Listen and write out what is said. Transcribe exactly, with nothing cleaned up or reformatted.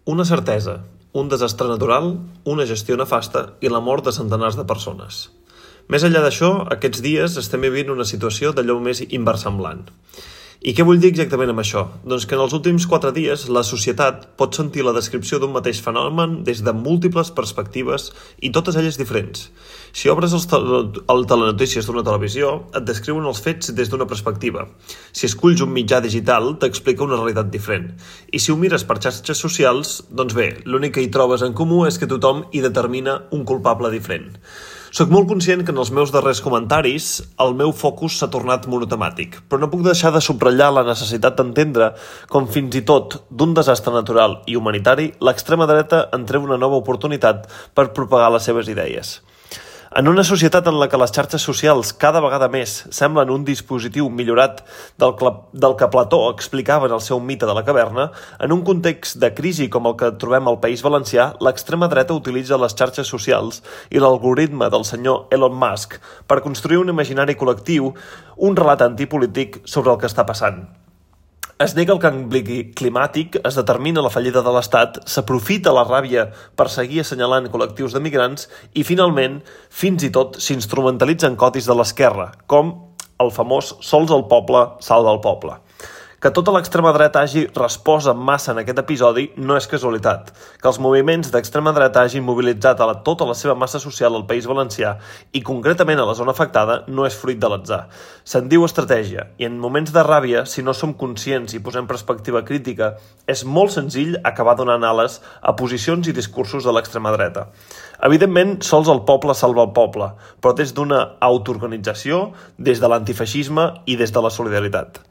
Una certesa, un desastre natural, una gestió nefasta i la mort de centenars de persones. Més enllà d'això, aquests dies estem vivint una situació d'allò més inversemblant. I què vull dir exactament amb això? Doncs que en els últims quatre dies la societat pot sentir la descripció d'un mateix fenomen des de múltiples perspectives i totes elles diferents. Si obres els el telenotícies d'una televisió, et descriuen els fets des d'una perspectiva. Si esculls un mitjà digital, t'explica una realitat diferent. I si ho mires per xarxes socials, doncs bé, l'únic que hi trobes en comú és que tothom hi determina un culpable diferent. Soc molt conscient que en els meus darrers comentaris el meu focus s'ha tornat monotemàtic, però no puc deixar de subratllar la necessitat d'entendre com fins i tot d'un desastre natural i humanitari l'extrema dreta en treu una nova oportunitat per propagar les seves idees. En una societat en la que les xarxes socials cada vegada més semblen un dispositiu millorat del, del que Plató explicava en el seu mite de la caverna, en un context de crisi com el que trobem al País Valencià, l'extrema dreta utilitza les xarxes socials i l'algoritme del senyor Elon Musk per construir un imaginari col·lectiu, un relat antipolític sobre el que està passant. Es nega el canvi climàtic, es determina la fallida de l'Estat, s'aprofita la ràbia per seguir assenyalant col·lectius de migrants i, finalment, fins i tot s'instrumentalitzen codis de l'esquerra, com el famós sols el poble salva el poble. Que tota l'extrema dreta hagi respost en massa en aquest episodi no és casualitat. Que els moviments d'extrema dreta hagin mobilitzat a la, tota la seva massa social al País Valencià i concretament a la zona afectada no és fruit de l'atzar. Se'n diu estratègia i en moments de ràbia, si no som conscients i posem perspectiva crítica, és molt senzill acabar donant ales a posicions i discursos de l'extrema dreta. Evidentment, sols el poble salva el poble, però des d'una autoorganització, des de l'antifeixisme i des de la solidaritat.